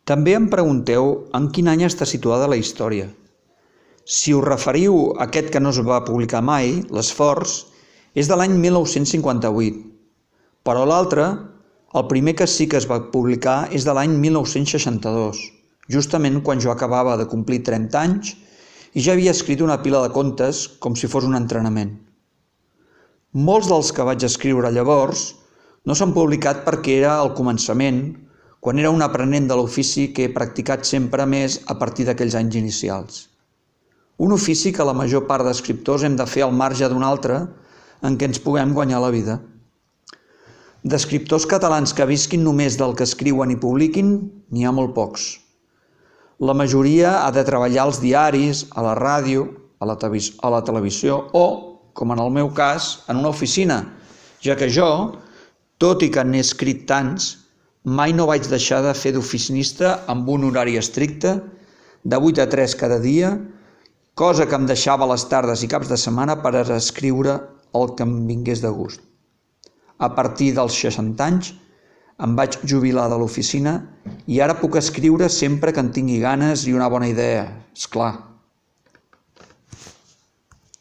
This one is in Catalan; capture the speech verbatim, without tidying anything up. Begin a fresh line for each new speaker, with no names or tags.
També em pregunteu en quin any està situada la història. Si us referiu a aquest que no es va publicar mai, l'Esforç, és de l'any mil nou-cents cinquanta-vuit, però l'altre, el primer que sí que es va publicar, és de l'any mil nou-cents seixanta-dos, justament quan jo acabava de complir trenta anys i ja havia escrit una pila de contes com si fos un entrenament. Molts dels que vaig escriure llavors no s'han publicat perquè era al començament, quan era un aprenent de l'ofici que he practicat sempre més a partir d'aquells anys inicials. Un ofici que la major part d'escriptors hem de fer al marge d'un altre en què ens puguem guanyar la vida. D'escriptors catalans que visquin només del que escriuen i publiquin, n'hi ha molt pocs. La majoria ha de treballar als diaris, a la ràdio, a la, a la televisió o, com en el meu cas, en una oficina, ja que jo, tot i que n'he escrit tants, mai no vaig deixar de fer d'oficinista amb un horari estricte, de vuit a tres cada dia, cosa que em deixava les tardes i caps de setmana per escriure el que em vingués de gust. A partir dels seixanta anys em vaig jubilar de l'oficina i ara puc escriure sempre que en tingui ganes i una bona idea, és clar.